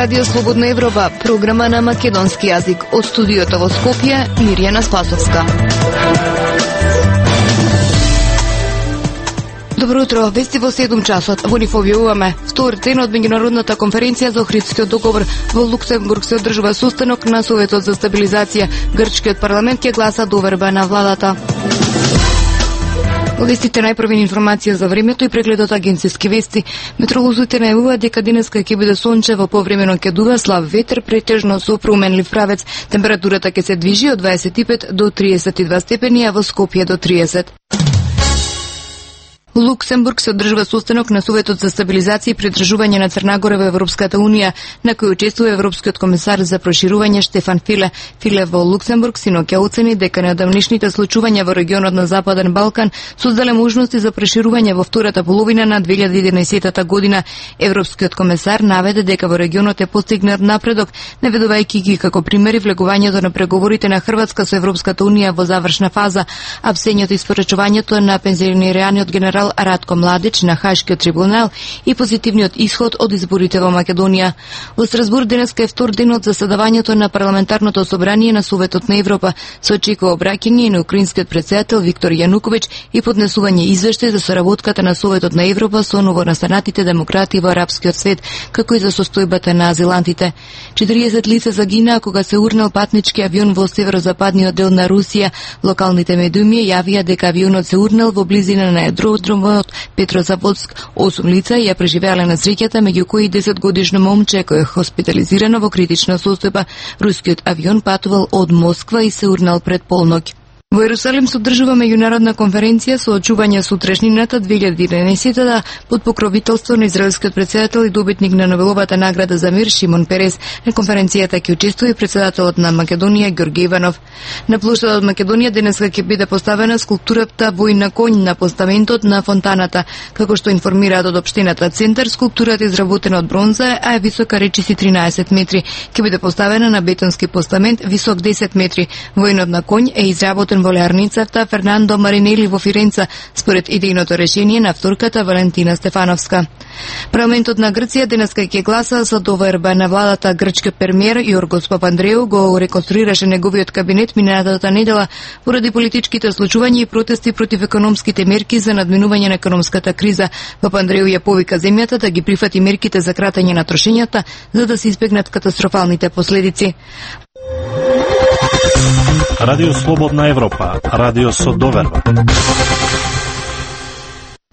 Радио Слободна Европа, програма на македонски јазик. Од студиото во Скопје, Мирјана Спасовска. Добро утро, вести во 7 часот. Во нив објавуваме: втор ден од меѓународната конференција за Охридскиот договор. Во Луксембург се одржува состанок на Советот за стабилизација. Грчкиот парламент ќе гласа доверба на владата. Вестите најпрвени информација за времето и прегледот агенцијски вести. Метеоролозите најавуваат дека денеска ќе биде сончево, повремено ќе дува слаб ветер, претежно со променлив правец. Температурата ќе се движи од 25 до 32 степени, а во Скопје до 30. Во Луксембург се одржува состанок на Советот за стабилизација и придржување на Црна Гора во Европската унија, на кој учествува Европскиот комесар за проширување Штефан Филе. Филе во Луксембург синоќа оцени дека неодамнешните случувања во регионот на Западен Балкан создале можности за проширување во втората половина на 2011 година. Европскиот комесар наведе дека во регионот е постигнат напредок, наведувајќи ги како примери влегувањето на преговорите на Хрватска со Европската унија во завршна фаза, а псењето и спорачувањето на пензионираниот генерал Радко Младич на Хашкиот трибунал и позитивниот исход од изборите во Македонија. Во Страсбург денеска е втор ден од заседавањето на парламентарното собрание на Советот на Европа. Се очекува обраќање на украинскиот претседател Виктор Јануковиќ и поднесување извештај за соработката на Советот на Европа со новонастанатите демократи во арапскиот свет, како и за состојбата на азилантите. 40 лица загинаа кога се урнал патнички авион во северозападниот дел на Русија. Локалните медиуми јавија дека авионот се урнал во близина на аеродромот Петрозаводск. 8 лица ја преживеале несреќата, меѓу кои 10-годишно момче кој е хоспитализирано во критична состојба. Рускиот авион патувал од Москва и се урнал пред полноќ. Во Ерусалим се одржува меѓународна конференција со очување сутрешнината 2011 под покровителство на израелскиот претседател и добитник на Нобеловата награда за мир Шимон Перес. На конференцијата ќе учествува и претседателот на Македонија Ѓорѓе Иванов. На плоштадот Македонија денеска ќе биде поставена скулптурата Војна конј на постаментот на фонтаната. Како што информираат од општината центар, скулптурата е изработена од бронза, а е висока речиси 13 метри. Ќе биде поставена на бетонски постамент висок 10 метри. Војнот на конј е изработен во леарницата Фернандо Маринели во Фиренца, според идејното решение на авторката Валентина Стефановска. Парламентот на Грција денеска ќе гласа за доверба на владата. Грчкиот премиер Јоргос Папандреу го реконструираше неговиот кабинет минатата недела поради политичките случувања и протести против економските мерки за надминување на економската криза. Папандреу ја повика земјата да ги прифати мерките за кратење на трошењата за да се избегнат катастрофалните последици. Радио Слободна Европа, радио со доверба.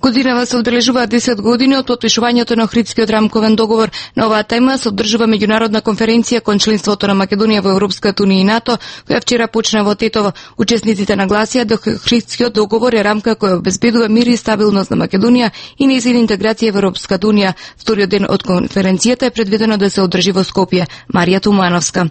Годинава се одржуваат 10 години од потпишувањето на Охридскиот рамковен договор. На оваа тема се одржува меѓународна конференција кон членството на Македонија во Европската унија и НАТО, која вчера почна во Тетово. Учесниците нагласија дека Охридскиот договор е рамка која обезбедува мир и стабилност на Македонија и нејзина интеграција во Европската унија. Вториот ден од конференцијата е предвидено да се одржи во Скопје. Марија Тумановска.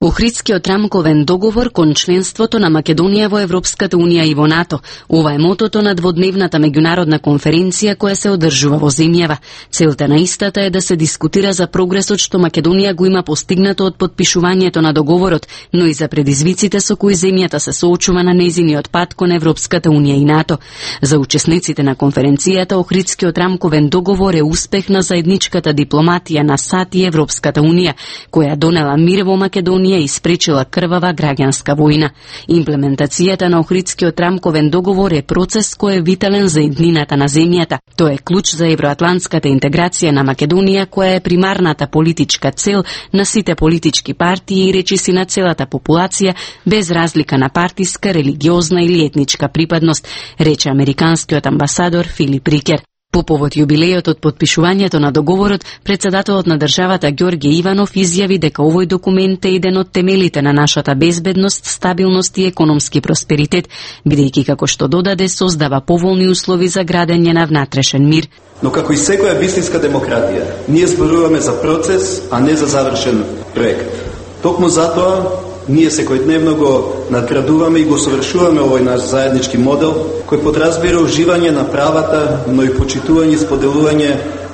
Охридскиот рамковен договор кон членството на Македонија во Европската унија и во НАТО. Ова е мотото на дводневната меѓународна конференција која се одржува во земјава. Целта на истата е да се дискутира за прогресот што Македонија го има постигнато од потпишувањето на договорот, но и за предизвиците со кои земјата се соочува на нејзиниот пат кон Европската унија и НАТО. За учесниците на конференцијата Охридскиот рамковен договор е успех на заедничката дипломатија на САД и Европската унија, која донела мир во Македонија и спречила крвава граѓанска војна. Имплементацијата на Охридскиот рамковен договор е процес кој е витален за еднината на земјата. Тој е клуч за евроатлантската интеграција на Македонија, која е примарната политичка цел на сите политички партии и речиси на целата популација, без разлика на партиска, религиозна или етничка припадност, рече американскиот амбасадор Филип Рикер. По повод јубилејот од потпишувањето на договорот, претседателот на државата Ѓорѓе Иванов изјави дека овој документ е еден од темелите на нашата безбедност, стабилност и економски просперитет, бидејќи како што додаде создава поволни услови за градење на внатрешен мир. Но како и секоја вистинска демократија, ние зборуваме за процес, а не за завршен проект. Токму затоа ние секојдневно го надградуваме и го совршуваме овој наш заеднички модел, кој подразбира уживање на правата, но и почитување и споделување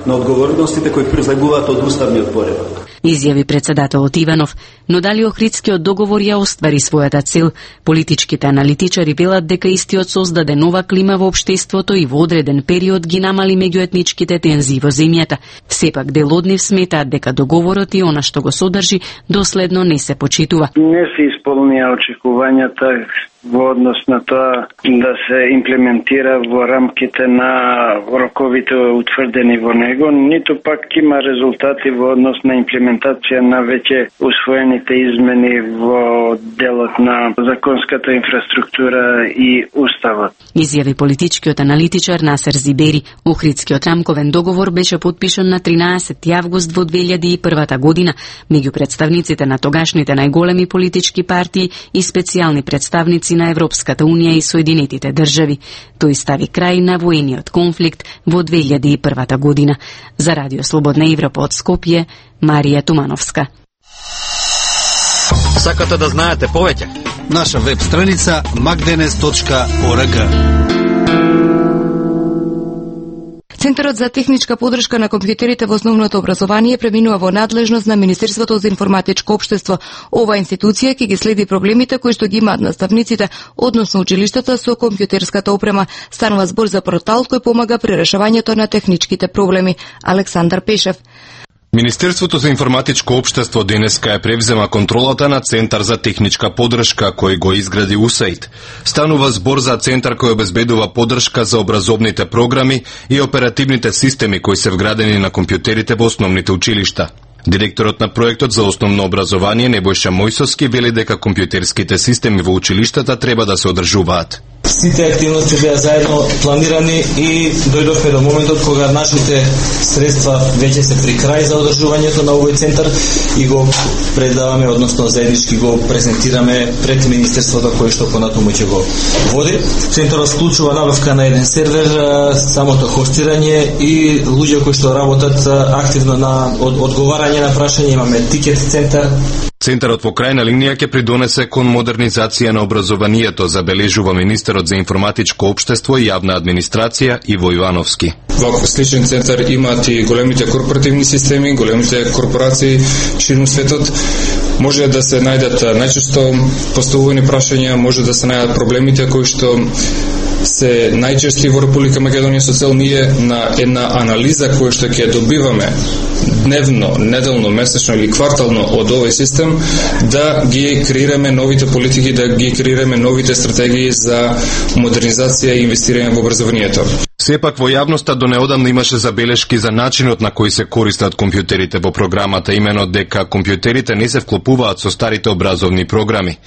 на одговорностите кои произлегуваат од уставниот поредок. изјави председателот Иванов, но дали Охридскиот договор ја оствари својата цел? Политичките аналитичари велат дека истиот создаде нова клима во општеството и во одреден период ги намали меѓуетничките тензии во земјата. Сепак дел од нив сметаат дека договорот и она што го содржи доследно не се почитува. Не се исполнија очекувањата во однос на тоа да се имплементира во рамките на роковите утврдени во него, ниту пак има резултати во однос на имплементација на веќе усвоените измени во делот на законската инфраструктура и уставот. Изјави политичкиот аналитичар Насер Зибери. Охридскиот рамковен договор беше потпишан на 13 август во 2001 година меѓу представниците на тогашните најголеми политички партии и специјални представници на Европската унија и Соединетите држави. Тој стави крај на воениот конфликт во 2001 година. За Радио Слободна Европа од Скопје, Марија Тумановска. Сакате да знаете повеќе? Наша веб страница magdenes.org. Центарот за техничка подршка на компјутерите во основното образование преминува во надлежност на Министерството за информатичко општество. Ова институција ќе ги следи проблемите кои што ги имаат наставниците, односно училиштата со компјутерската опрема. Станува збор за портал кој помага при решавањето на техничките проблеми. Александар Пешев. Министерството за информатичко општество денеска ја превзема контролата на Центар за техничка подршка кој го изгради УСАИД. Станува збор за центар кој обезбедува подршка за образовните програми и оперативните системи кои се вградени на компјутерите во основните училишта. Директорот на проектот за основно образование Небојша Мојсовски вели дека компјутерските системи во училиштата треба да се одржуваат. Сите активности беа заедно планирани и дојдовме до моментот кога нашите средства веќе се при крај за одржувањето на овој центар и го предаваме, односно заеднички го презентираме пред Министерството кој што понатаму ќе го води. Центарот вклучува набавка на еден сервер, самото хостирање и луѓе кои што работат активно на одговарање на прашања. Имаме тикет центар. Центарот во крајна линија ќе придонесе кон модернизација на образованието, забележува министерот за информатичко општество и јавна администрација Иво Ивановски. Ваков сличен центар имаат и големите корпоративни системи, големите корпорации ширум светот. Може да се најдат најчесто поставувани прашања, може да се најдат проблемите кои што се најчести во Република Македонија со цел ние на една анализа која што ќе добиваме дневно, неделно, месечно или квартално од овој систем, да ги креираме новите политики, да ги креираме новите стратегии за модернизација и инвестирање во образованието. Сепак во јавноста до неодамна имаше забелешки за начинот на кој се користат компјутерите во програмата, имено дека компјутерите не се вклопуваат со старите образовни програми.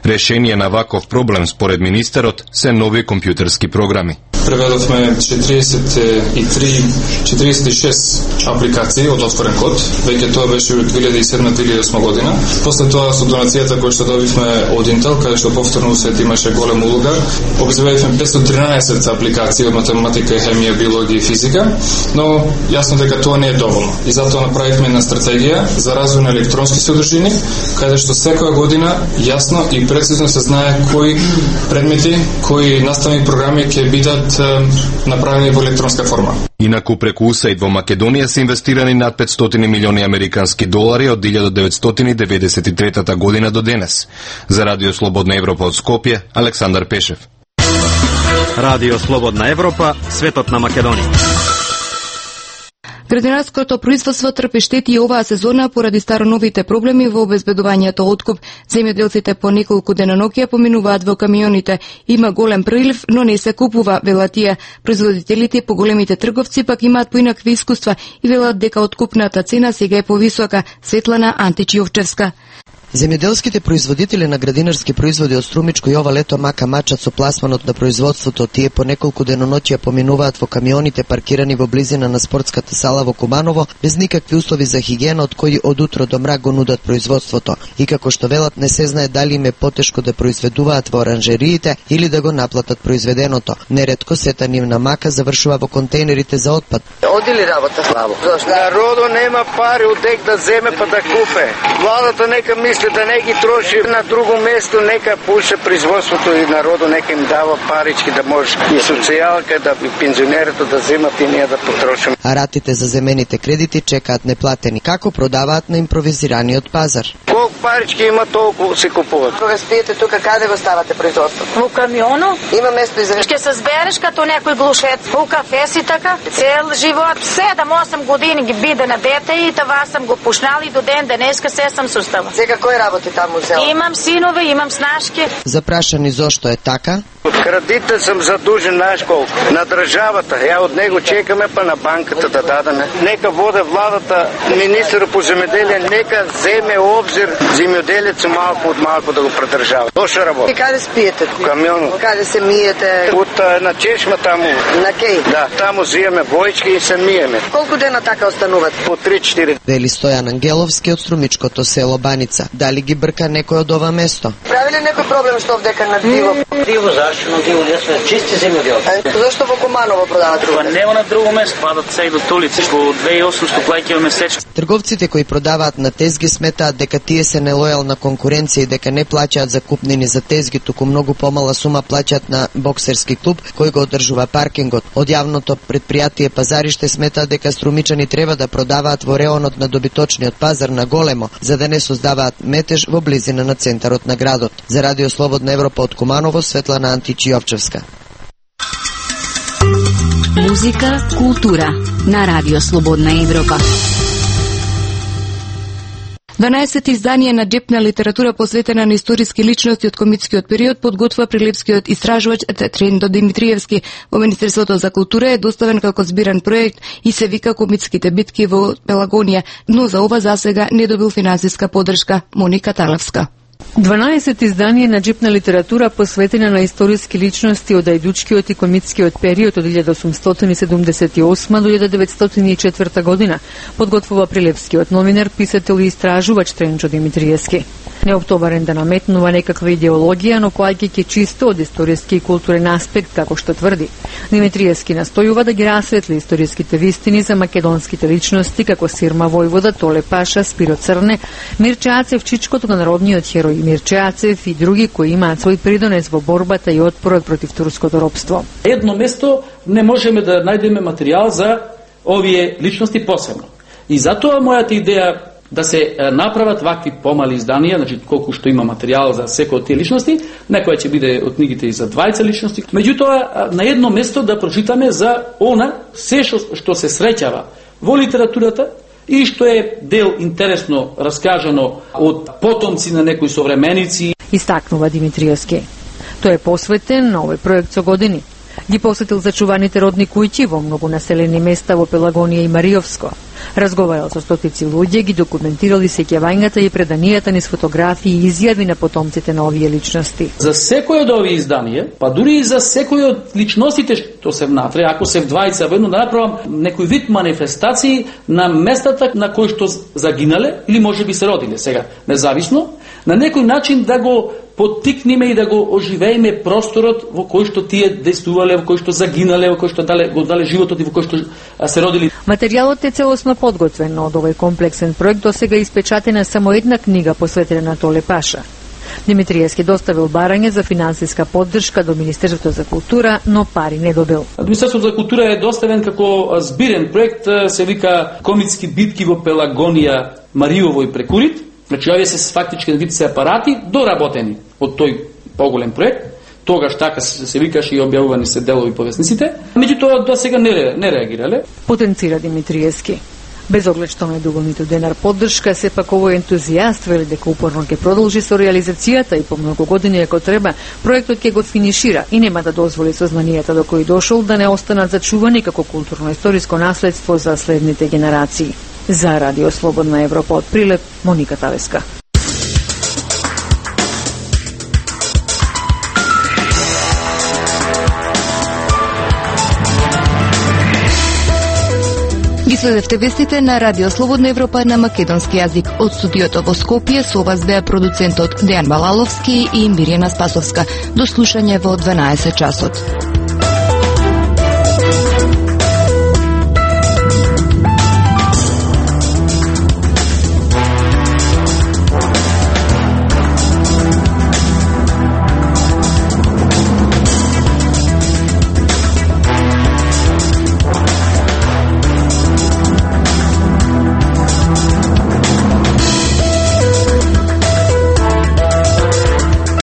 Решение на ваков проблем според министерот се нови компјутерски програми. Преведовме 46 апликации од отворен код, веќе тоа беше од 2007-2008 година. После тоа со донацијата која што добивме од Intel, каде што повторно свет имаше голема улога, обезбедивме 513 апликации од математика, хемија, биологија и физика, но јасно дека тоа не е доволно. И затоа направивме една стратегија за развој на електронски содржини, каде што секоја година јасно и прецизно се знае кои предмети, кои наставни програми ќе бидат направени во електронска форма. Инаку преку УСАИД во Македонија се инвестирани над 500 милиони американски долари од 1993 година до денес. За Радио Слободна Европа од Скопје, Александар Пешев. Радио Слободна Европа, светот на Македонија. Градинарското производство трпи штети и оваа сезона поради староновите проблеми во обезбедувањето откуп. Земјоделците по неколку деноноќја поминуваат во камионите. Има голем прилив, но не се купува, велат тие. Производителите и поголемите трговци пак имаат поинакви искуства и велат дека откупната цена сега е повисока. Светлана Античиовчевска. Земјоделските производители на градинарски производи од Струмичко и ова лето мака мачат со пласманот на производството. Тие по неколку деноноќја поминуваат во камионите паркирани во близина на спортската сала во Куманово, без никакви услови за хигиена, од кои од утро до мрак го нудат производството. И како што велат, не се знае дали им е потешко да произведуваат во оранжериите или да го наплатат произведеното. Неретко сета нивна мака завршува во контейнерите за отпад. Оди ли работа слабо? Народо нема пари од дек да земе па да купе. Владата нека мисли мисли да не ги троши на друго место, нека пуша производството и народу, нека им дава парички да може и социјалка, да и пензионерите да земат и ние да потрошим. А ратите за земените кредити чекаат неплатени. Како продаваат на импровизираниот пазар? Колку парички има, толку се купуваат. Кога спиете тука, каде го ставате производството? Во камиону. Има место и за... Ќе се збереш като некој глушец. Во кафе си така. Цел живот, 7-8 години ги биде на дете и това сам го пушнал и до ден денеска се сам сустава. Сега кој работи таму у село? Имам синове, имам снашки. Запрашани зошто е така? Од кредита сам задужен, знаеш колку? На државата. Ја од него чекаме па на банката да дадеме. Нека воде владата, министерот по земеделие, нека земе обзир земјоделецот малку од малку да го придржава. Тоа што работи. И каде спиете? В камиону. Каде се миете? От на чешма таму. На кеј? Да, таму зиеме војчки и се миеме. Колку дена така остануват? По 3-4. Вели Стојан Ангеловски од струмичкото село Баница. Дали ги брка некој од ова место? Прави ли некој проблем што овдека на диво? Диво зашто на диво, ние сме чисти земјоделци. Зашто во Куманово продават друго? Па нема на друго место, падат се и до Тулици, во 2800 плаќаме месечно. Трговците кои продаваат на тезги сметаат дека тие се нелојална конкуренција и дека не плаќаат закупнини за тезги, туку многу помала сума плаќаат на боксерски клуб кој го одржува паркингот. Од јавното предпријатие Пазариште сметаат дека струмичани треба да продаваат во реонот на добиточниот пазар на големо, за да не создаваат метеж во близина на центарот на градот. За Радио Слободна Европа од Куманово, Светлана Античиовчевска. Музика, култура на Радио Слободна Европа. 12 издание на джепна литература посветена на историски личности од комитскиот период подготвува прилепскиот истражувач Трендо Димитриевски. Во Министерството за култура е доставен како збиран проект и се вика Комитските битки во Пелагонија, но за ова засега не добил финансиска поддршка. Моника Талевска. 12 издание на джипна литература посветена на историски личности од ајдучкиот и комитскиот период од 1878 до 1904 година подготвува прилепскиот новинар, писател и истражувач Тренчо Димитриевски. Неоптоварен да наметнува некаква идеологија, но поаѓајќи чисто од историски и културен аспект, како што тврди. Димитриевски настојува да ги расветли историските вистини за македонските личности како Сирма Војвода, Толе Паша, Спиро Црне, Мирче Ацев, чичкото на народниот херој Мирче Ацев и други кои имаат свој придонес во борбата и отпорот против турското робство. Едно место не можеме да најдеме материјал за овие личности посебно. И затоа мојата идеја да се направат вакви помали изданија, значи колку што има материјал за секој од тие личности, некоја ќе биде од книгите и за 20 личности. Меѓутоа, на едно место да прочитаме за она се што се среќава во литературата и што е дел интересно раскажано од потомци на некои современици. Истакнува Димитриевски. Тој е посветен на овој проект со години. Ги посетил зачуваните родни куќи во многу населени места во Пелагонија и Мариовско. Разговарал со стотици луѓе, ги документирали сеќавањата и преданијата низ фотографии и изјави на потомците на овие личности. За секој од овие изданија, па дури и за секој од личностите што се внатре, ако се вдвајца во едно, да направам некој вид манифестации на местата на кои што загинале или можеби се родиле сега, независно, на некој начин да го поттикнеме и да го оживееме просторот во кој што тие действувале, во кој што загинале, во кој што го дале животот и во кој што се родили. Материјалот е целосно подготвен, од овој комплексен проект до сега испечатена само една книга посветена на Толе Паша. Димитриевски доставил барање за финансиска поддршка до Министерството за култура, но пари не добил. Министерството за култура е доставен како збирен проект, се вика Комитски битки во Пелагонија, Мариово и Прекурит. Значи, овие се фактички вид се апарати доработени од тој поголем проект. Тогаш така се викаше и објавувани се делови по весниците. Меѓутоа до сега не реагирале. Потенцира Димитриевски. Без оглед што не добил ниту денар поддршка, сепак овој ентузијаст вели дека упорно ќе продолжи со реализацијата и по многу години ако треба, проектот ќе го финишира и нема да дозволи сознанијата до кои дошол да не останат зачувани како културно-историско наследство за следните генерации. За Радио Слободна Европа од Прилеп, Моника Талевска. Ги следевте вестите на Радио Слободна Европа на македонски јазик. Од студиото во Скопје со вас беа продуцентот Дејан Балаловски и Мирјана Спасовска. До слушање во 12 часот.